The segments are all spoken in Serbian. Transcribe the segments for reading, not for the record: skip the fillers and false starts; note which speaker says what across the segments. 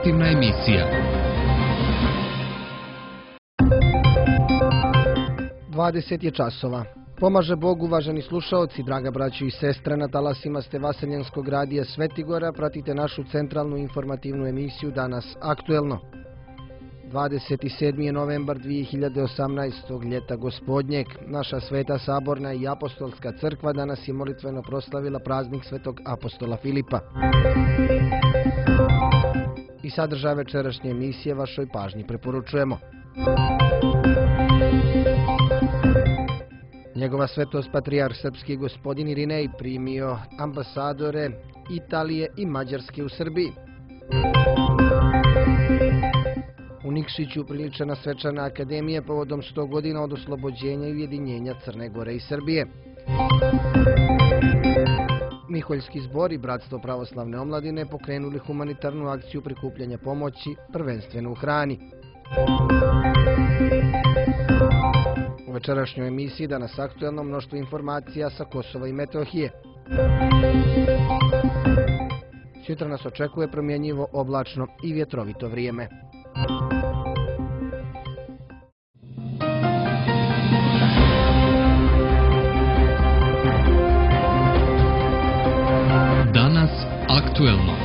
Speaker 1: informativna emisija.
Speaker 2: 20 je časova. Pomaže Bog, uvaženi slušaoci, draga braćo i sestre, na talasima ste Vaseljenskog radija Svetigora, pratite našu centralnu informativnu emisiju Danas aktuelno. 27. je novembar 2018. ljeta gospodnjeg. Naša Sveta Saborna i Apostolska crkva danas je molitveno proslavila praznik Svetog apostola Filipa. I sadržaj večerašnje emisije vašoj pažnji preporučujemo. Njegova svetost patrijarh srpski gospodin Irinej primio ambasadore Italije i Mađarske u Srbiji. U Nikšiću priličena svečana akademija povodom 100 godina od oslobođenja i ujedinjenja Crne Gore i Srbije. Miholjski zbor i Bratstvo pravoslavne omladine pokrenuli humanitarnu akciju prikupljanja pomoći, prvenstveno u hrani. U večerašnjoj emisiji Danas aktuelno mnoštvo informacija sa Kosova i Metohije. Sutra nas očekuje promjenjivo, oblačno i vjetrovito vrijeme.
Speaker 1: Danas aktuelno.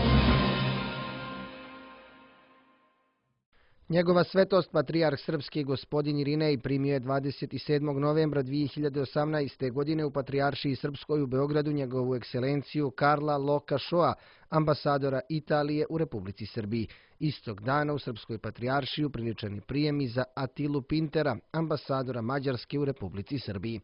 Speaker 2: Njegova svetost patrijarh srpski gospodin Irinej primio je 27. novembra 2018. godine u Patrijaršiji Srpskoj u Beogradu njegovu ekscelenciju Karla Loka Šoa, ambasadora Italije u Republici Srbiji. Istog dana u Srpskoj patrijaršiji priličeni prijemi za Atilu Pintera, ambasadora Mađarske u Republici Srbiji.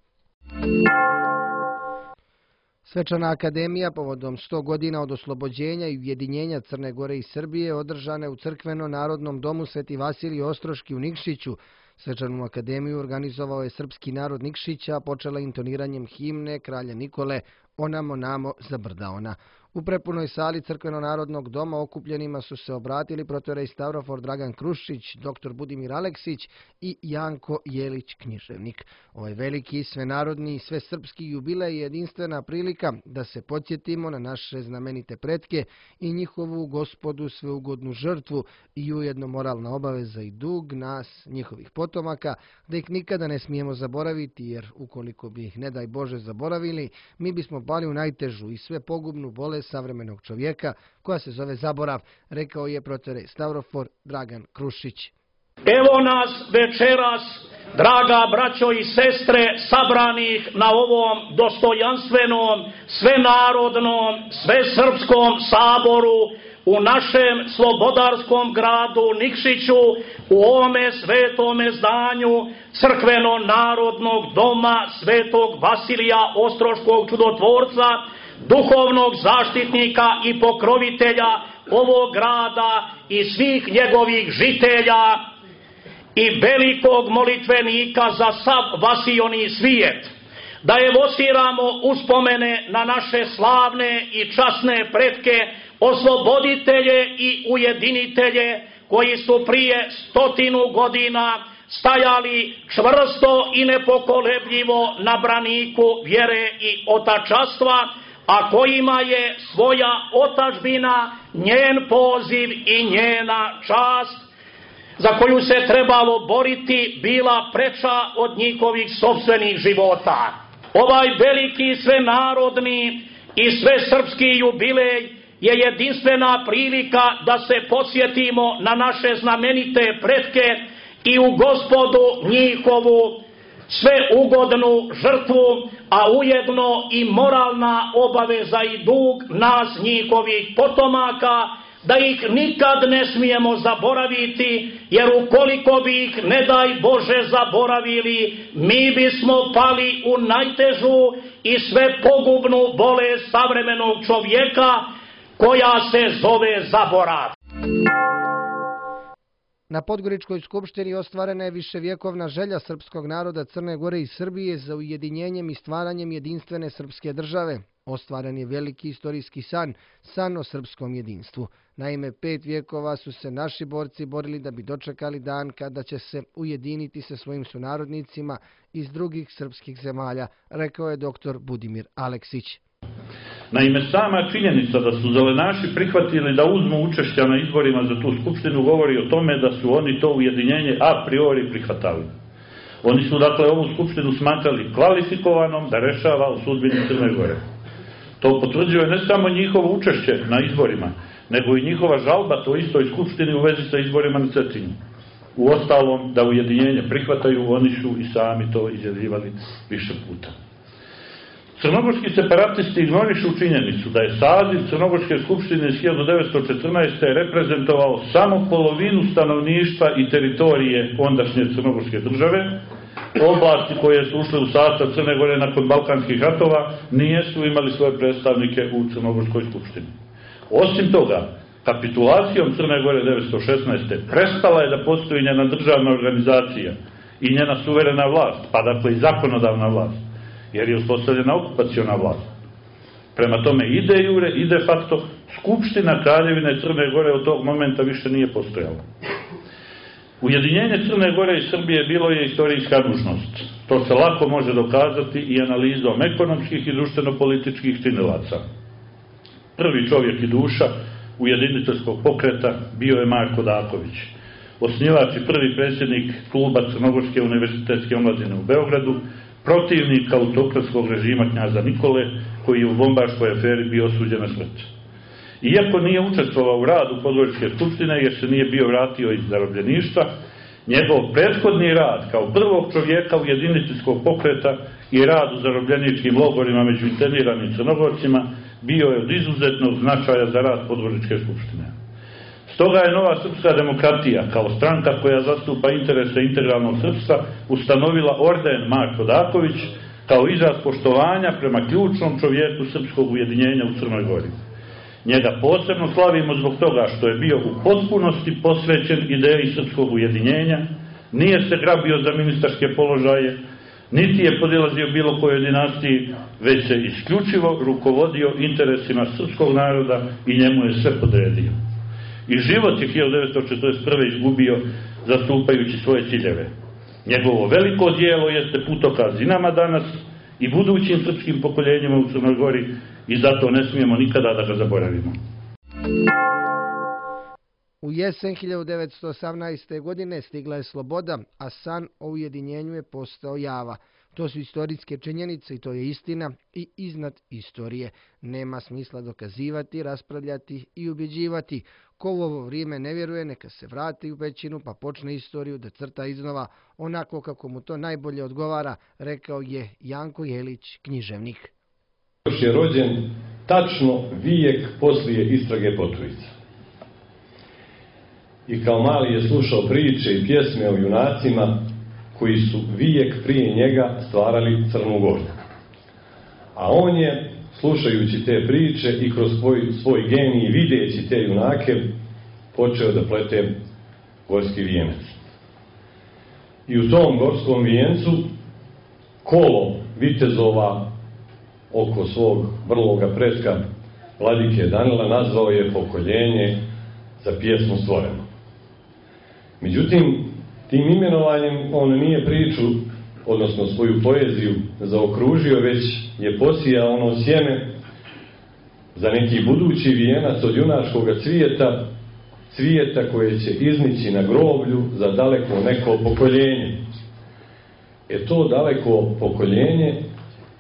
Speaker 2: Svečana akademija povodom 100 godina od oslobođenja i ujedinjenja Crne Gore i Srbije održana je u Crkveno-narodnom domu Sveti Vasilij Ostroški u Nikšiću. Svečanu akademiju organizovao je srpski narod Nikšića, počela intoniranjem himne kralja Nikole Onamo namo za brda ona. U prepunoj sali Crkveno-narodnog doma okupljenima su se obratili protorej Stavrofor Dragan Krušić, dr. Budimir Aleksić i Janko Jelić književnik. Ovaj veliki, svenarodni i svesrpski jubilej je jedinstvena prilika da se podsjetimo na naše znamenite pretke i njihovu Gospodu sveugodnu žrtvu i ujedno moralna obaveza i dug nas, njihovih potomaka, da ih nikada ne smijemo zaboraviti, jer ukoliko bi ih ne daj Bože zaboravili, mi bismo pali u najtežu i sve pogubnu bolest savremenog čovjeka koja se zove zaborav, rekao je protorej Stavrofor Dragan Krušić.
Speaker 3: Evo nas večeras, draga braćo i sestre, sabranih na ovom dostojanstvenom, svenarodnom, svesrpskom saboru u našem slobodarskom gradu Nikšiću, u ovome svetome zdanju Crkveno-narodnog doma Svetog Vasilija Ostroškog čudotvorca, duhovnog zaštitnika i pokrovitelja ovog grada i svih njegovih žitelja i velikog molitvenika za sav vasioni svijet, da evociramo uspomene na naše slavne i časne pretke, osloboditelje i ujedinitelje koji su prije 100 godina stajali čvrsto i nepokolebljivo na braniku vjere i otačanstva, a kojima je svoja otadžbina, njen poziv i njena čast, za koju se trebalo boriti, bila preča od njihovih sopstvenih života. Ovaj veliki svenarodni i svesrpski jubilej je jedinstvena prilika da se podsjetimo na naše znamenite pretke i u Gospodu njihovu sveugodnu žrtvu, a ujedno i moralna obaveza i dug nas, njihovih potomaka, da ih nikad ne smijemo zaboraviti, jer ukoliko bi ih, ne daj Bože, zaboravili, mi bismo pali u najtežu i sve pogubnu bolest savremenog čovjeka, koja se zove zaborav.
Speaker 2: Na Podgoričkoj skupštini ostvarena je viševjekovna želja srpskog naroda Crne Gore i Srbije za ujedinjenjem i stvaranjem jedinstvene srpske države. Ostvaren je veliki istorijski san o srpskom jedinstvu. Naime, 5 vjekova su se naši borci borili da bi dočekali dan kada će se ujediniti sa svojim sunarodnicima iz drugih srpskih zemalja, rekao je dr. Budimir Aleksić.
Speaker 4: Naime, sama činjenica da su zelenaši prihvatili da uzmu učešća na izborima za tu skupštinu govori o tome da su oni to ujedinjenje a priori prihvatali. Oni su dakle ovu skupštinu smatrali kvalifikovanom da rešava o sudbini Crne Gore. To potvrđuje ne samo njihovo učešće na izborima, nego i njihova žalba toj istoj skupštini u vezi sa izborima na Cetinju. U ostalom, da ujedinjenje prihvataju, oni su i sami to izjavljivali više puta. Crnogorski separatisti ignorišu činjenicu da je saziv Crnogorske skupštine iz 1914. reprezentovao samo polovinu stanovništva i teritorije ondašnje Crnogorske države. Oblasti koje su ušle u sastav Crne Gore nakon Balkanskih ratova nijesu imali svoje predstavnike u Crnogorskoj skupštini. Osim toga, kapitulacijom Crne Gore 1916. prestala je da postoji njena državna organizacija i njena suverena vlast, pa dakle i zakonodavna vlast, jer je uspostavljena okupaciona vlast. Prema tome i de jure i de facto Skupština Kraljevine Crne Gore od tog momenta više nije postojala. Ujedinjenje Crne Gore i Srbije bilo je istorijska nužnost. To se lako može dokazati i analizom ekonomskih i društveno-političkih činilaca. Prvi čovjek i duša ujediniteljskog pokreta bio je Marko Daković, osnivač i prvi predsjednik kluba Crnogorske univerzitetske omladine u Beogradu, protivnik autokratskog režima knjaza Nikole, koji je u bombaškoj aferi bio osuđen na smrt. Iako nije učestvovao u radu Podgoričke skupštine jer se nije bio vratio iz zarobljeništva, njegov prethodni rad kao prvog čovjeka ujediniteljskog pokreta i rad u zarobljeničkim logorima među interniranim Crnogorcima bio je od izuzetnog značaja za rad Podgoričke skupštine. Stoga je Nova srpska demokratija, kao stranka koja zastupa interese integralnog srpstva, ustanovila orden Marko Daković kao izraz poštovanja prema ključnom čovjeku srpskog ujedinjenja u Crnoj Gori. Njega posebno slavimo zbog toga što je bio u potpunosti posvećen ideji srpskog ujedinjenja, nije se grabio za ministarske položaje, niti je podilazio bilo kojoj dinastiji, već se isključivo rukovodio interesima srpskog naroda i njemu je sve podredio. I život je 1941. izgubio zastupajući svoje ciljeve. Njegovo veliko dijelo jeste putokaz i nama danas i budućim srpskim pokoljenjima u Crnoj Gori i zato ne smijemo nikada da ga zaboravimo.
Speaker 2: U jesen 1918. godine stigla je sloboda, a san o ujedinjenju je postao java. To su istorijske činjenice i to je istina i iznad istorije. Nema smisla dokazivati, raspravljati i ubjeđivati. Ko u ovo vrijeme ne vjeruje, neka se vrati u pećinu pa počne istoriju da crta iznova onako kako mu to najbolje odgovara, rekao je Janko Jelić, književnik.
Speaker 5: Još je rođen tačno vijek poslije istrage Potrujica. I kao mali je slušao priče i pjesme o junacima koji su vijek prije njega stvarali Crnu Goru. A on je, slušajući te priče i kroz svoj genij videći te junake, počeo da plete gorski vijenac. I u tom gorskom vijencu kolo vitezova oko svog vrloga pretka Vladike Danila nazvao je pokoljenje za pjesmu stvoreno. Međutim, tim imenovanjem on nije priču, odnosno svoju poeziju, zaokružio, već je posijao ono sjeme za neki budući vijenac od junačkog cvijeta koje će iznići na groblju za daleko neko pokoljenje. To daleko pokoljenje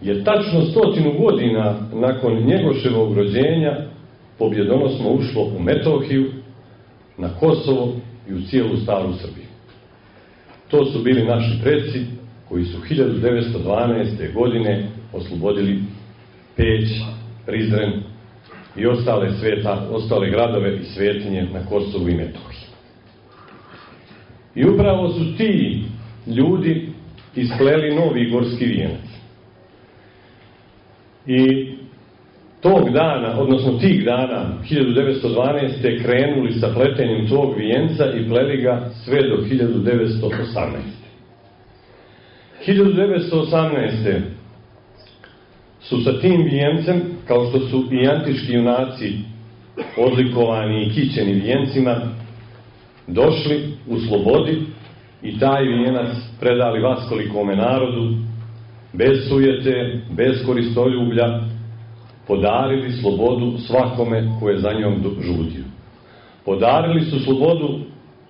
Speaker 5: je tačno 100 godina nakon Njegoševog rođenja pobjedonosno ušlo u Metohiju, na Kosovo i u cijelu staru Srbiju. To su bili naši preci koji su 1912. godine oslobodili Peć, Prizren i ostale gradove i svetinje na Kosovu i Metohiji. I upravo su ti ljudi ispleli novi gorski vijenac. I tog dana, odnosno tih dana, 1912. krenuli sa pletenjem tog vijenca i pleli ga sve do 1918. 1918. su sa tim vijencem, kao što su i antički junaci odlikovani i kićeni vijencima, došli u slobodi i taj vijenac predali vaskolikome narodu, bez sujete, bez koristoljublja, podarili slobodu svakome ko je za njom žudio. Podarili su slobodu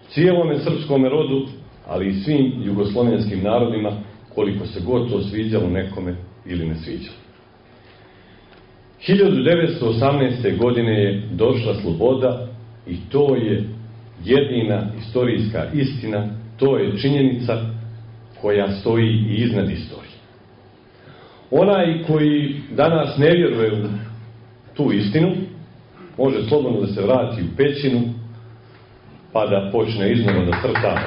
Speaker 5: cijelome srpskome rodu, ali i svim jugoslovenskim narodima, koliko se god to sviđalo nekome ili ne sviđalo. 1918. godine je došla sloboda i to je jedina istorijska istina, to je činjenica koja stoji i iznad istorije. Onaj koji danas ne vjeruje u tu istinu, može slobodno da se vrati u pećinu, pa da počne iznova da crta.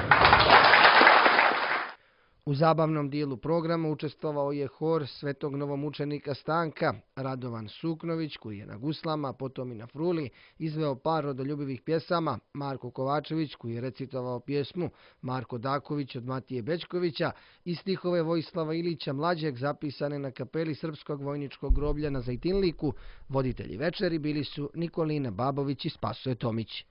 Speaker 2: U zabavnom dijelu programa učestvovao je hor svetog novomučenika Stanka. Radovan Suknović, koji je na guslama, potom i na fruli, izveo par rodoljubivih pjesama. Marko Kovačević, koji je recitovao pjesmu Marko Daković od Matije Bećkovića i stihove Vojislava Ilića Mlađeg zapisane na kapeli Srpskog vojničkog groblja na Zajtinliku. Voditelji večeri bili su Nikolina Babović i Spasoje Tomić.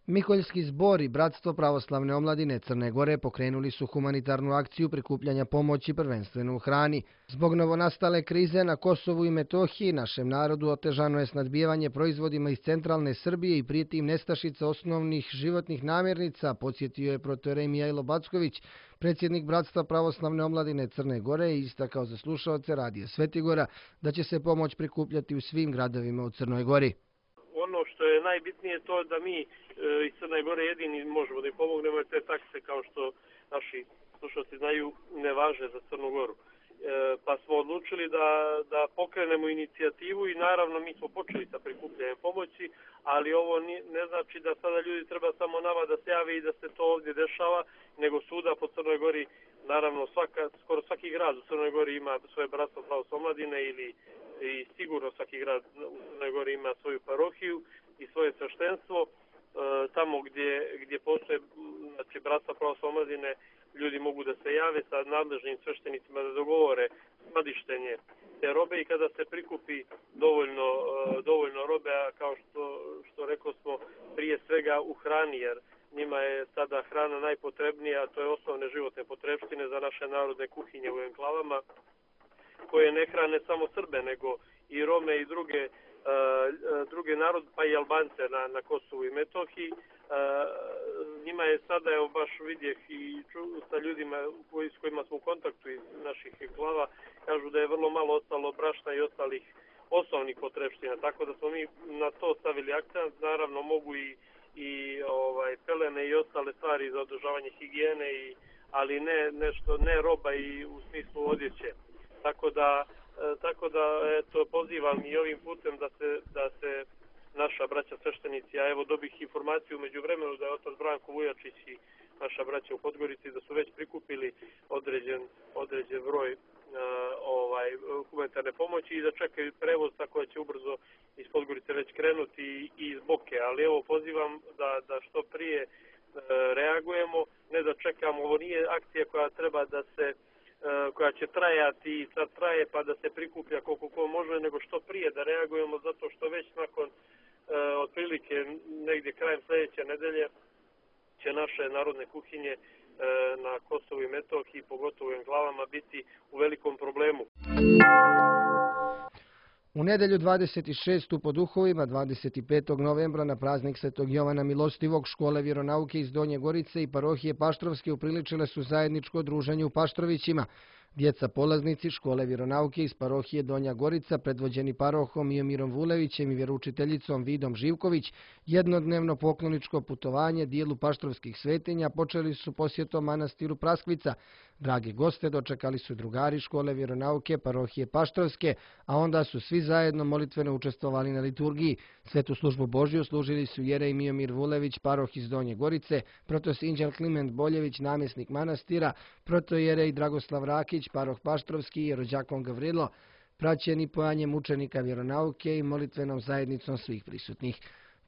Speaker 2: Miholjski zbor i Bratstvo pravoslavne omladine Crne Gore pokrenuli su humanitarnu akciju prikupljanja pomoći prvenstveno u hrani. Zbog novonastale krize na Kosovu i Metohiji našem narodu otežano je snadbijevanje proizvodima iz centralne Srbije i prijeti im nestašica osnovnih životnih namirnica, podsjetio je protorej Mijajlo Backović, predsjednik Bratstva pravoslavne omladine Crne Gore, i istakao za slušaoce Radija Svetigora da će se pomoć prikupljati u svim gradovima u Crnoj Gori.
Speaker 6: Ono što je najbitnije je to da mi iz Crne Gore jedini možemo da im pomognemo, jer te takse, kao što naši slušalci znaju, ne važe za Crnu Goru. Pa smo odlučili da pokrenemo inicijativu i naravno mi smo počeli sa prikupljanjem pomoći, ali ovo ne znači da sada ljudi treba samo nama da se jave i da se to ovdje dešava, nego svuda po Crnoj Gori, naravno skoro svaki grad u Crnoj Gori ima svoje bratstvo pravoslavne omladine i sigurno svaki grad u Crnoj Gori ima svoju parohiju i svoje sveštenstvo. Tamo gdje postoje bratstva pravoslavne omladine, ljudi mogu da se jave sa nadležnim sveštenicima da dogovore skladištenje te robe i kada se prikupi dovoljno robe, a kao što rekao smo, prije svega u hrani, jer njima je sada hrana najpotrebnija, a to je osnovne životne potrebštine za naše narodne kuhinje u enklavama, koje ne hrane samo Srbe, nego i Rome i druge narod, pa i Albance na Kosovu i Metohiji. Njima je sada, evo baš vidjeh i sa ljudima s kojima smo u kontaktu iz naših enklava, kažu da je vrlo malo ostalo brašna i ostalih osnovnih potrebština, tako da smo mi na to stavili akcent. Naravno mogu i pelene i ostale stvari za održavanje higijene, ali ne roba i u smislu odjeće. Tako da eto, pozivam i ovim putem da se naša braća sveštenici, a evo dobih informaciju među vremenu da je otac Branko Vujačić i naša braća u Podgorici da su već prikupili određen broj humanitarne pomoći i da čekaju prevoz, tako da će ubrzo iz Podgorice već krenuti i iz Boke. Ali evo pozivam da što prije reagujemo, ne da čekamo. Ovo nije akcija koja će trajati i sad traje pa da se prikuplja koliko ko može, nego što prije da reagujemo, zato što već nakon otprilike negdje krajem sljedeće nedelje će naše narodne kuhinje na Kosovu i Metohiji, pogotovo u enklavama, biti u velikom problemu.
Speaker 2: U nedelju 26. po duhovima 25. novembra na praznik Svetog Jovana Milostivog škole vjeronauke iz Donje Gorice i parohije Paštrovske upriličile su zajedničko druženje u Paštrovićima. Djeca polaznici škole vjeronauke iz parohije Donja Gorica, predvođeni parohom Miomirom Vulevićem i vjeroučiteljicom Vidom Živković, jednodnevno pokloničko putovanje dijelu paštrovskih svetinja počeli su posjetom manastiru Praskvica. Dragi goste dočekali su drugari škole vjeronauke parohije Paštrovske, a onda su svi zajedno molitveno učestvovali na liturgiji. Svetu službu Božju služili su jerej Miomir Vulević, paroh iz Donje Gorice, protosinđel Kliment Boljević, namjesnik manastira, protojerej Dragoslav Rakić, paroh Paštrovski i rođakon Gavrilo, praćeni pojanjem učenika vjeronauke i molitvenom zajednicom svih prisutnih.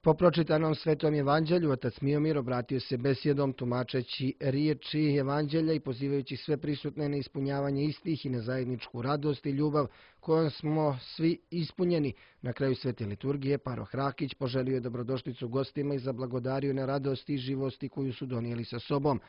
Speaker 2: Po pročitanom Svetom evanđelju, otac Miomir obratio se besjedom tumačeći riječi evanđelja i pozivajući sve prisutne na ispunjavanje istih i na zajedničku radost i ljubav kojom smo svi ispunjeni. Na kraju svete liturgije paroh Rakić poželio je dobrodošlicu gostima i zablagodario na radosti i živosti koju su donijeli sa sobom.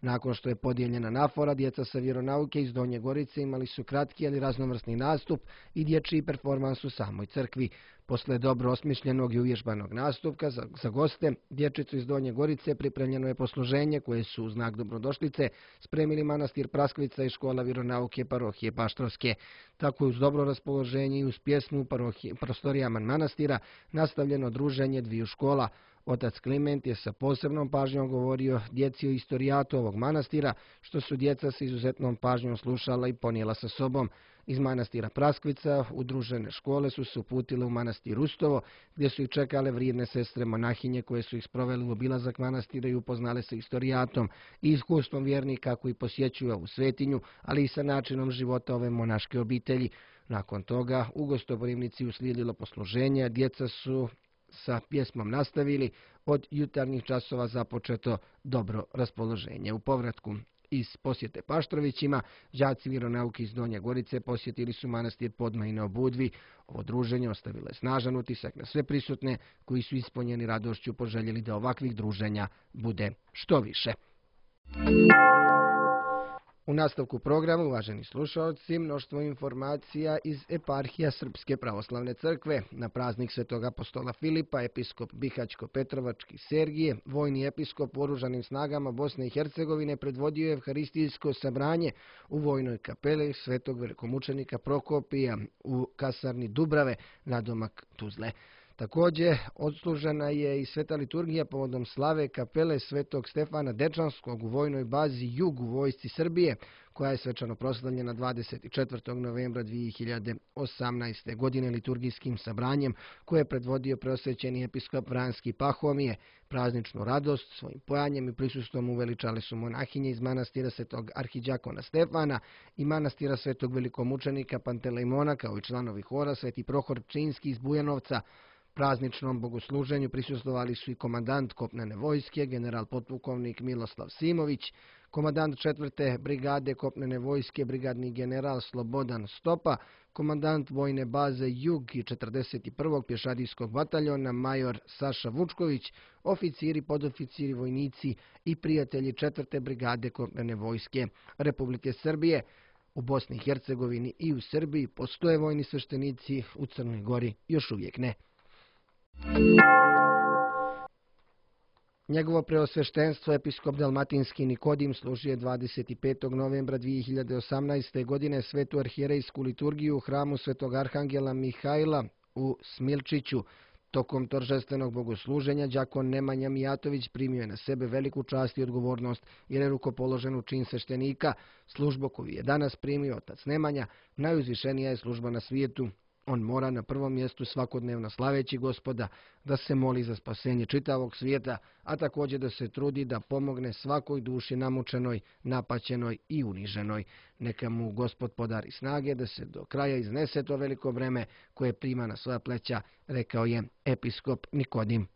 Speaker 2: Nakon što je podijeljena nafora, djeca sa vjeronauke iz Donje Gorice imali su kratki ali raznovrsni nastup i dječji performans u samoj crkvi. Posle dobro osmišljenog i uvježbanog nastupka za goste, dječicu iz Donje Gorice pripremljeno je posluženje koje su u znak dobrodošlice spremili manastir Praskvica i škola vjeronauke parohije Paštrovske. Tako je uz dobro raspoloženje i uz pjesmu u prostorijama manastira nastavljeno druženje dviju škola. Otac Kliment je sa posebnom pažnjom govorio djeci o istorijatu ovog manastira, što su djeca sa izuzetnom pažnjom slušala i ponijela sa sobom. Iz manastira Praskvica udružene škole su se uputile u manastir Rustovo, gdje su ih čekale vrijedne sestre monahinje koje su ih sproveli u obilazak manastira i upoznale sa istorijatom i iskustvom vjernika koji posjećuju ovu svetinju, ali i sa načinom života ove monaške obitelji. Nakon toga u gostoprimnici uslijedilo posluženje, djeca su sa pjesmom nastavili, od jutarnjih časova započeto dobro raspoloženje. U povratku iz posjete Paštrovićima, đaci vjeronauke iz Donje Gorice posjetili su manastir Podmajine u Budvi. Ovo druženje ostavilo je snažan utisak na sve prisutne koji su ispunjeni radošću poželjeli da ovakvih druženja bude što više. U nastavku programa, uvaženi slušalci, mnoštvo informacija iz eparhija Srpske pravoslavne crkve. Na praznik Svetog apostola Filipa, episkop Bihaćko-Petrovački Sergije, vojni episkop u oružanim snagama Bosne i Hercegovine, predvodio je evharistijsko sabranje u vojnoj kapeli Svetog velikomučenika Prokopija u kasarni Dubrave, nadomak Tuzle. Također, odslužena je i sveta liturgija povodom slave kapele Svetog Stefana Dečanskog u vojnoj bazi Jug u vojsci Srbije, koja je svečano proslavljena 24. novembra 2018. godine liturgijskim sabranjem, koje je predvodio preosvećeni episkop Vranski Pahomije. Prazničnu radost svojim pojanjem i prisustvom uveličale su monahinje iz manastira Svetog arhiđakona Stefana i manastira Svetog velikomučenika Pantelejmona, kao i članovi hora Sveti Prohor Pčinski iz Bujanovca. Prazničnom bogosluženju prisustvovali su i komandant kopnene vojske, general potpukovnik Miloslav Simović, komandant 4. brigade kopnene vojske, brigadni general Slobodan Stopa, komandant vojne baze Jug i 41. pješadijskog bataljona major Saša Vučković, oficiri, podoficiri, vojnici i prijatelji 4. brigade kopnene vojske Republike Srbije. U Bosni i Hercegovini i u Srbiji postoje vojni sveštenici, u Crnoj Gori još uvijek ne. Njegovo preosveštenstvo episkop Dalmatinski Nikodim služio je 25. novembra 2018. godine svetu arhijerejsku liturgiju u hramu Svetog Arhangela Mihajla u Smilčiću. Tokom торжественog bogosluženja đakon Nemanja Mijatović primio je na sebe veliku čast i odgovornost jer je rukopoložen u čin sveštenika. Službu koju je danas primio otac Nemanja najuzvišenija je služba na svijetu. On mora na prvom mjestu svakodnevno slaveći Gospoda, da se moli za spasenje čitavog svijeta, a također da se trudi da pomogne svakoj duši namučenoj, napaćenoj i uniženoj. Neka mu Gospod podari snage da se do kraja iznese to veliko breme koje prima na svoja pleća, rekao je episkop Nikodim.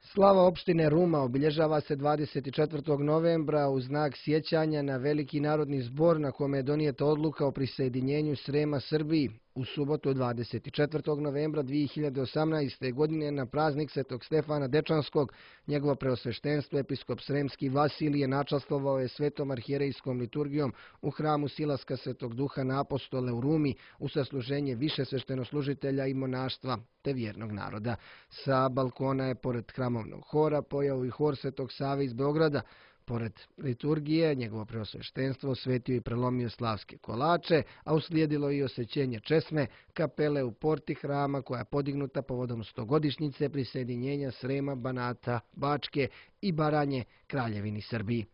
Speaker 2: Slava opštine Ruma obilježava se 24. novembra u znak sjećanja na veliki narodni zbor na kome je donijeta odluka o prisajedinjenju Srema Srbiji. U subotu 24. novembra 2018. godine na praznik Svetog Stefana Dečanskog, njegovo preosveštenstvo episkop Sremski Vasilije načastvovao je svetom arhijerejskom liturgijom u hramu Silaska Svetog Duha na Apostole u Rumi u sasluženje više sveštenoslužitelja i monaštva te vjernog naroda. Sa balkona je pored hramovnog hora pojao i hor Svetog Save iz Beograda. Pored liturgije, njegovo preosveštenstvo osvetio i prelomio slavske kolače, a uslijedilo i osvećenje česme kapele u porti hrama koja je podignuta povodom 100-godišnjice prisajedinjenja Srema, Banata, Bačke i Baranje Kraljevini Srbiji.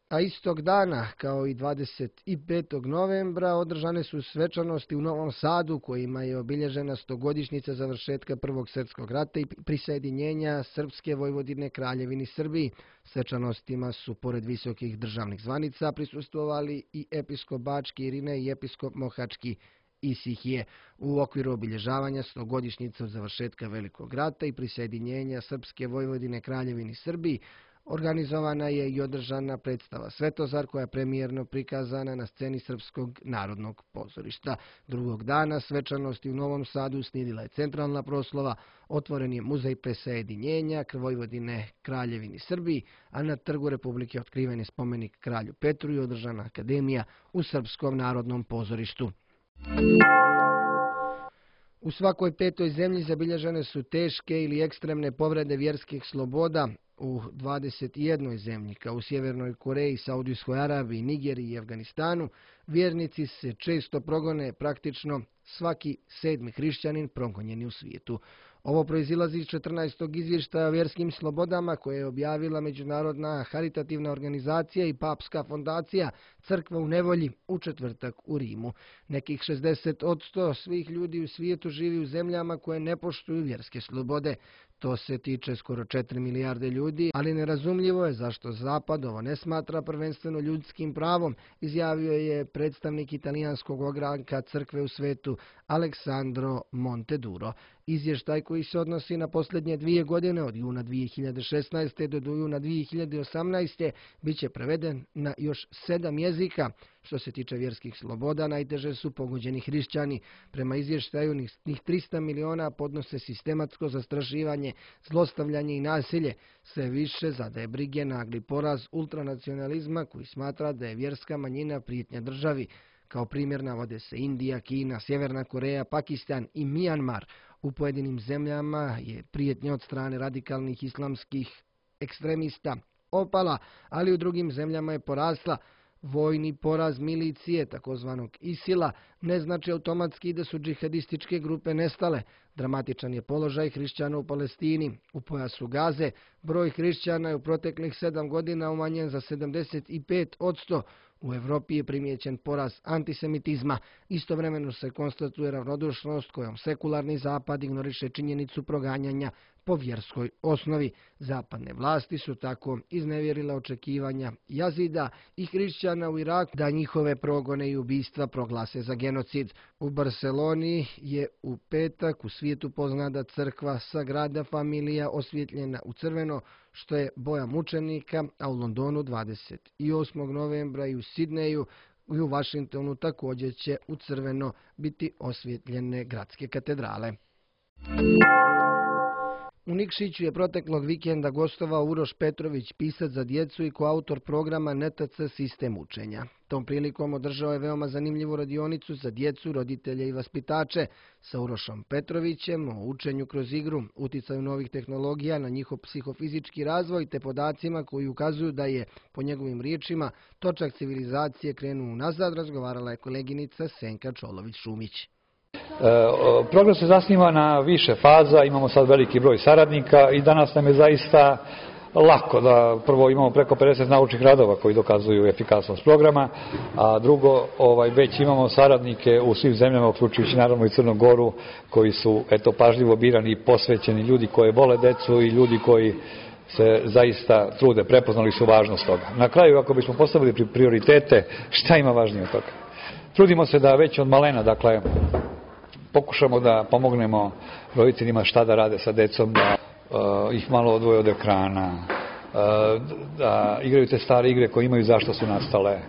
Speaker 2: A istog dana, kao i 25. novembra, održane su svečanosti u Novom Sadu, kojima je obilježena 100-godišnjica završetka Prvog svjetskog rata i prisajedinjenja Srpske Vojvodine Kraljevini Srbiji. Svečanostima su, pored visokih državnih zvanica, prisustvovali i episkop Bački Irine i episkop Mohački Isihije. U okviru obilježavanja 100-godišnjice od završetka Velikog rata i prisajedinjenja Srpske Vojvodine Kraljevini Srbiji, Organizovana je i održana predstava Svetozar koja je premijerno prikazana na sceni Srpskog narodnog pozorišta. Drugog dana svečanosti u Novom Sadu uslijedila je centralna proslava, otvoren je muzej plesa jedinjenja Vojvodine Kraljevini Srbiji, a na Trgu Republike otkriven je spomenik kralju Petru i održana akademija u Srpskom narodnom pozorištu. U svakoj petoj zemlji zabilježene su teške ili ekstremne povrede vjerskih sloboda. U 21 zemlji, kao u Sjevernoj Koreji, Saudijskoj Arabiji, Nigeriji i Afganistanu, vjernici se često progone, praktično svaki 7. hrišćanin progonjen je u svijetu. Ovo proizilazi iz 14. izvještaja o vjerskim slobodama koje je objavila Međunarodna haritativna organizacija i Papska fondacija Crkva u nevolji u četvrtak u Rimu. Nekih 60% svih ljudi u svijetu živi u zemljama koje ne poštuju vjerske slobode. To se tiče skoro 4 milijarde ljudi, ali nerazumljivo je zašto Zapad ovo ne smatra prvenstveno ljudskim pravom, izjavio je predstavnik italijanskog ogranka crkve u svetu Alessandro Monteduro. Izvještaj koji se odnosi na posljednje 2 godine od juna 2016. do juna 2018. bit će preveden na još 7 jezika. Što se tiče vjerskih sloboda, najteže su pogođeni hrišćani. Prema izvještaju, njih 300 miliona podnose sistematsko zastrašivanje, zlostavljanje i nasilje. Sve više zadaje brige nagli poraz ultranacionalizma koji smatra da je vjerska manjina prijetnja državi. Kao primjer navode se Indija, Kina, Sjeverna Koreja, Pakistan i Mijanmar. U pojedinim zemljama je prijetnja od strane radikalnih islamskih ekstremista opala, ali u drugim zemljama je porasla. Vojni poraz milicije, takozvanog ISIL-a, ne znači automatski da su džihadističke grupe nestale. Dramatičan je položaj hrišćana u Palestini. U pojasu Gaze broj hrišćana je u proteklih 7 godina umanjen za 75%. U Evropi je primijećen porast antisemitizma. Istovremeno se konstatuje ravnodušnost kojom sekularni Zapad ignoriše činjenicu proganjanja po vjerskoj osnovi. Zapadne vlasti su tako iznevjerile očekivanja Jazida i hrišćana u Iraku da njihove progone i ubistva proglase za genocid. U Barceloni je u petak u svijetu poznata crkva Sagrada Familia osvjetljena u crveno, što je boja mučenika, a u Londonu 28. novembra i u Sidneju i u Vašingtonu također će u crveno biti osvjetljene gradske katedrale. U Nikšiću je proteklog vikenda gostovao Uroš Petrović, pisac za djecu i koautor programa NTC Sistem učenja. Tom prilikom održao je veoma zanimljivu radionicu za djecu, roditelje i vaspitače sa Urošom Petrovićem o učenju kroz igru, uticaju novih tehnologija na njihov psihofizički razvoj te podacima koji ukazuju da je, po njegovim riječima, točak civilizacije krenuo nazad, razgovarala je koleginica Senka Čolović-Šumić.
Speaker 7: Program se zasniva na više faza, imamo sad veliki broj saradnika i danas nam je zaista lako da prvo imamo preko 50 naučnih radova koji dokazuju efikasnost programa, a drugo već imamo saradnike u svim zemljama, uključujući naravno i Crnu Goru, koji su pažljivo birani i posvećeni ljudi koji vole decu i ljudi koji se zaista trude, prepoznali su važnost toga. Na kraju, ako bismo postavili prioritete, šta ima važnije od toga? Trudimo se da već od malena, dakle, pokušamo da pomognemo roditeljima šta da rade sa decom, da ih malo odvoje od ekrana, da igraju te stare igre koje imaju zašto su nastale.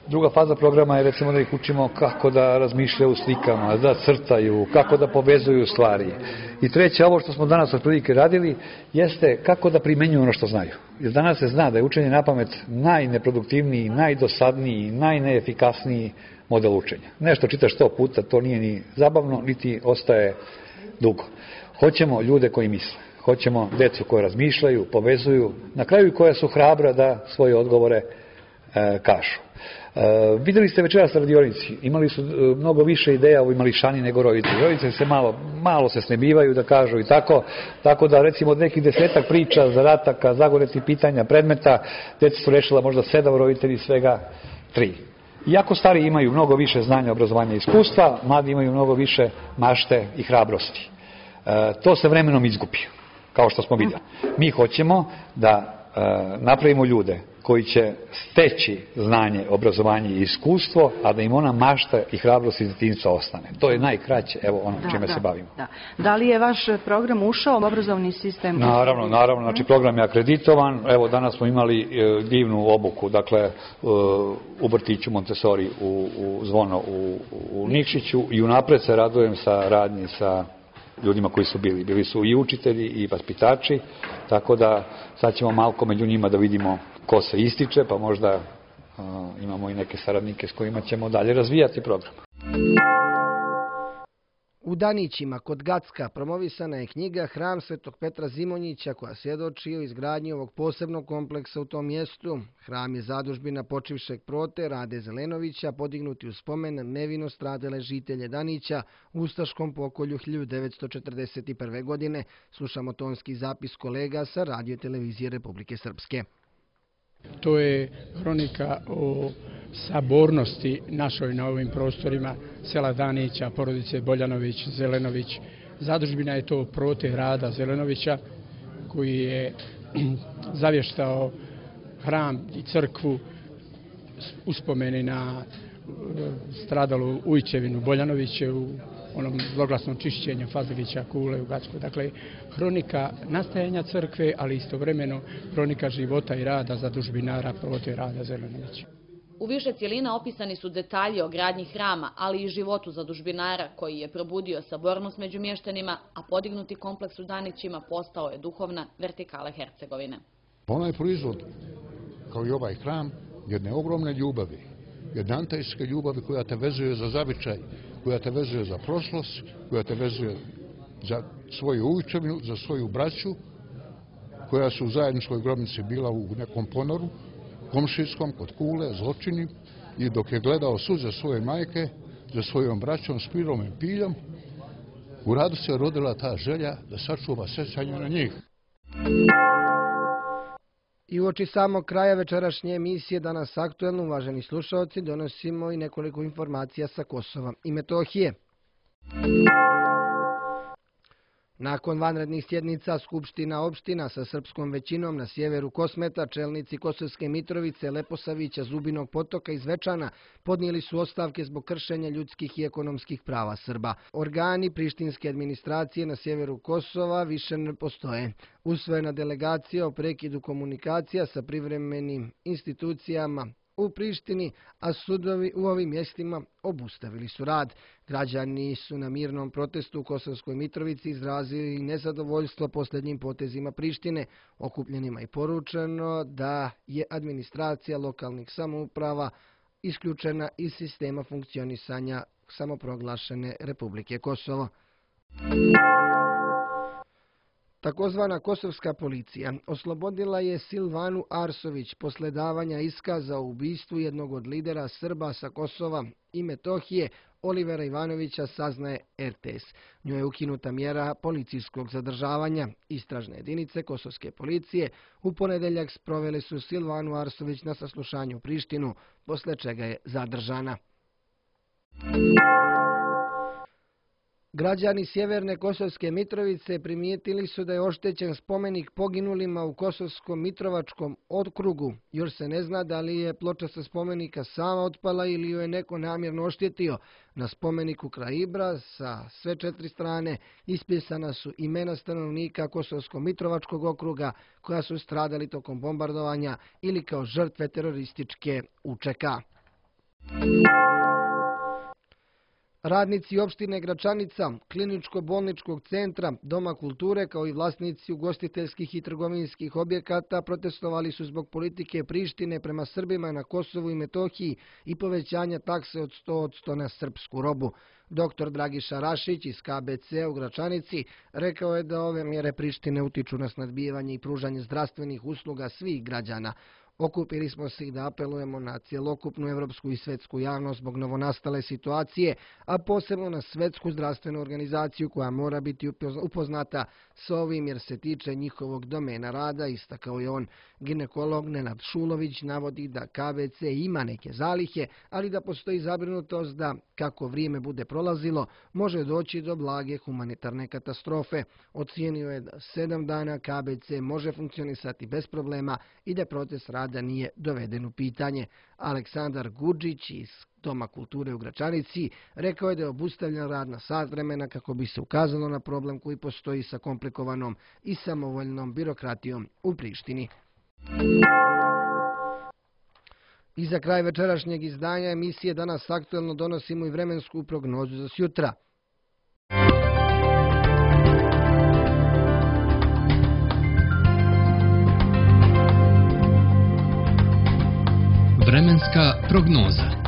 Speaker 7: Druga faza programa je recimo da ih učimo kako da razmišljaju u slikama, da crtaju, kako da povezuju stvari. I treće, ovo što smo danas otprilike radili, jeste kako da primenjuju ono što znaju. Jer danas se zna da je učenje napamet najneproduktivniji, najdosadniji, najneefikasniji model učenja. Nešto čitaš 100 puta, to nije ni zabavno, niti ostaje dugo. Hoćemo ljude koji misle. Hoćemo decu koje razmišljaju, povezuju, na kraju koja su hrabra da svoje odgovore kažu. Vidjeli ste večeras na radionici, imali su mnogo više ideja ovi mališani nego roditelji. Roditelji se malo se snebivaju da kažu i tako da recimo od nekih 10 priča, zadataka, zagonetnih pitanja, predmeta, djeca su rešila možda 7, roditelji svega 3. Iako stari imaju mnogo više znanja, obrazovanja i iskustva, mladi imaju mnogo više mašte i hrabrosti. To se vremenom izgubi, kao što smo vidjeli. Mi hoćemo da napravimo ljude koji će steći znanje, obrazovanje i iskustvo, a da im ona mašta i hrabrost iz djetinjstva ostane. To je najkraće, evo ono čime se bavimo.
Speaker 8: Da li je vaš program ušao u obrazovni sistem?
Speaker 7: Naravno, znači program je akreditovan. Evo danas smo imali divnu obuku, dakle u vrtiću Montessori u Zvono u Nikšiću i unapred se radujem sa radnji sa ljudima koji su bili. Bili su i učitelji i vaspitači, tako da sad ćemo malko među njima da vidimo ko se ističe, pa možda imamo i neke saradnike s kojima ćemo dalje razvijati program.
Speaker 2: U Danićima, kod Gacka, promovisana je knjiga Hram Svetog Petra Zimonjića koja svjedoči o izgradnji ovog posebnog kompleksa u tom mjestu. Hram je zadužbina počivšeg prote Rade Zelenovića, podignuti u spomen nevino stradale žitelje Danića u ustaškom pokolju 1941. godine. Slušamo tonski zapis kolega sa Radio televizije Republike Srpske.
Speaker 9: To je hronika o sabornosti našoj na ovim prostorima sela Danića, porodice Boljanović, Zelenović. Zadužbina je to prote Rada Zelenovića koji je zavještao hram i crkvu uspomeni na stradalu Ujčevinu Boljanoviće u onom zloglasnom čišćenju Fazligića kule u Gacku. Dakle, hronika nastajanja crkve, ali istovremeno hronika života i rada zadužbinara prote Rada Zelenovića.
Speaker 10: U više cjelina opisani su detalji o gradnji hrama, ali i životu zadužbinara koji je probudio sabornost među mještanima, a podignuti kompleks u Danićima postao je duhovna vertikala Hercegovine.
Speaker 11: Ona je proizvod, kao i ovaj hram, jedne ogromne ljubavi, jedne antajske ljubavi koja te vezuje za zavičaj, koja te vezuje za prošlost, koja te vezuje za svoju ujčevinu, za svoju braću, koja su u zajedničkoj grobnici bila u nekom ponoru, komšijskom, kod kule, zločini, i dok je gledao suze svoje majke, za svojom braćom, Spirom i Piljom, u Radu se rodila ta želja da sačuva sjećanje na njih.
Speaker 2: I uoči samog kraja večerašnje emisije Danas aktuelno, uvaženi slušalci, donosimo i nekoliko informacija sa Kosova i Metohije. Nakon vanrednih sjednica Skupština opština sa srpskom većinom na sjeveru Kosmeta, čelnici Kosovske Mitrovice, Leposavića, Zubinog Potoka i Zvečana podnijeli su ostavke zbog kršenja ljudskih i ekonomskih prava Srba. Organi prištinske administracije na sjeveru Kosova više ne postoje. Usvojena delegacija o prekidu komunikacija sa privremenim institucijama u Prištini, a sudovi u ovim mjestima obustavili su rad. Građani su na mirnom protestu u Kosovskoj Mitrovici izrazili nezadovoljstvo posljednjim potezima Prištine. Okupljenima je poručeno da je administracija lokalnih samouprava isključena iz sistema funkcionisanja samoproglašene Republike Kosovo. Takozvana kosovska policija oslobodila je Silvanu Arsović posle davanja iskaza o ubistvu jednog od lidera Srba sa Kosova i Metohije, Olivera Ivanovića, saznaje RTS. Njoj je ukinuta mjera policijskog zadržavanja. Istražne jedinice kosovske policije u ponedeljak sprovele su Silvanu Arsović na saslušanju u Prištinu, posle čega je zadržana. Građani sjeverne Kosovske Mitrovice primijetili su da je oštećen spomenik poginulima u Kosovskom Mitrovačkom okrugu. Još se ne zna da li je ploča sa spomenika sama otpala ili ju je neko namjerno oštetio. Na spomeniku kraj Ibra sa sve 4 strane ispisana su imena stanovnika Kosovskog Mitrovačkog okruga koja su stradali tokom bombardovanja ili kao žrtve terorističke UČK. Radnici opštine Gračanica, kliničko-bolničkog centra, Doma kulture kao i vlasnici ugostiteljskih i trgovinskih objekata protestovali su zbog politike Prištine prema Srbima na Kosovu i Metohiji i povećanja takse od 100% na srpsku robu. Dr. Dragiša Rašić iz KBC u Gračanici rekao je da ove mjere Prištine utiču na snadbivanje i pružanje zdravstvenih usluga svih građana. Okupili smo se i da apelujemo na cjelokupnu evropsku i svetsku javnost zbog novonastale situacije, a posebno na svetsku zdravstvenu organizaciju koja mora biti upoznata s ovim jer se tiče njihovog domena rada, istakao je on. Ginekolog Nenad Šulović navodi da KBC ima neke zalihe, ali da postoji zabrinutost da, kako vrijeme bude prolazilo, može doći do blage humanitarne katastrofe. Ocijenio je da 7 dana KBC može funkcionisati bez problema i da proces rada nije doveden u pitanje. Aleksandar Gudžić iz Doma kulture u Gračanici rekao je da je obustavljen rad na sat vremena kako bi se ukazalo na problem koji postoji sa komplikovanom i samovoljnom birokratijom u Prištini. I za kraj večerašnjeg izdanja emisije Danas aktuelno donosimo i vremensku prognozu za sjutra.
Speaker 1: Vremenska prognoza.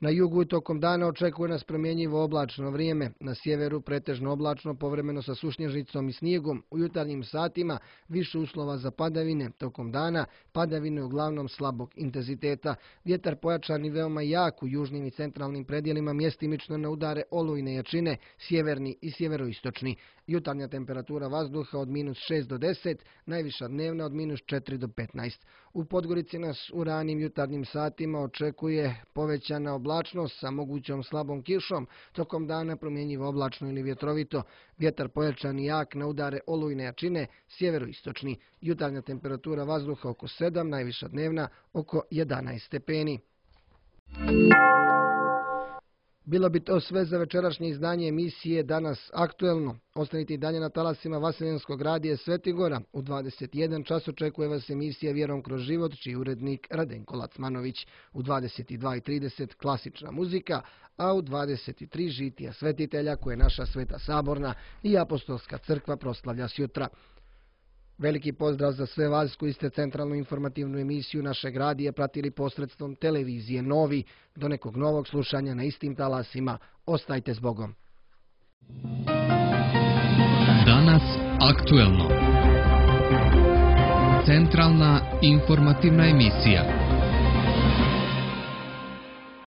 Speaker 2: Na jugu i tokom dana očekuje nas promjenjivo oblačno vrijeme. Na sjeveru pretežno oblačno, povremeno sa sušnježicom i snijegom. U jutarnjim satima više uslova za padavine. Tokom dana padavine uglavnom slabog intenziteta. Vjetar pojačan i veoma jak u južnim i centralnim predjelima, mjestimično na udare olujne jačine, sjeverni i sjeveroistočni. Jutarnja temperatura vazduha od -6 do 10, najviša dnevna od -4 do 15. U Podgorici nas u ranim jutarnjim satima očekuje povećana oblačnost sa mogućom slabom kišom, tokom dana promjenjivo oblačno ili vjetrovito, vjetar pojačan i jak na udare olujne jačine, sjeveroistočni. Jutarnja temperatura vazduha oko 7, najviša dnevna oko 11 stepeni. Bilo bi to sve za večerašnje izdanje emisije Danas aktuelno. Ostanite i dalje na talasima Vaseljenskog radija Svetigora. U 21 čas očekuje vas emisija Vjerom kroz život, čiji urednik Radenko Lacmanović. U 22:30 klasična muzika, a u 23 žitija svetitelja koje naša Sveta Saborna i Apostolska crkva proslavlja sjutra. Veliki pozdrav za sve vas koji ste centralnu informativnu emisiju našeg radija pratili posredstvom televizije Novi. Do nekog novog slušanja na istim talasima. Ostajte s Bogom.
Speaker 1: Danas aktuelno. Centralna informativna emisija.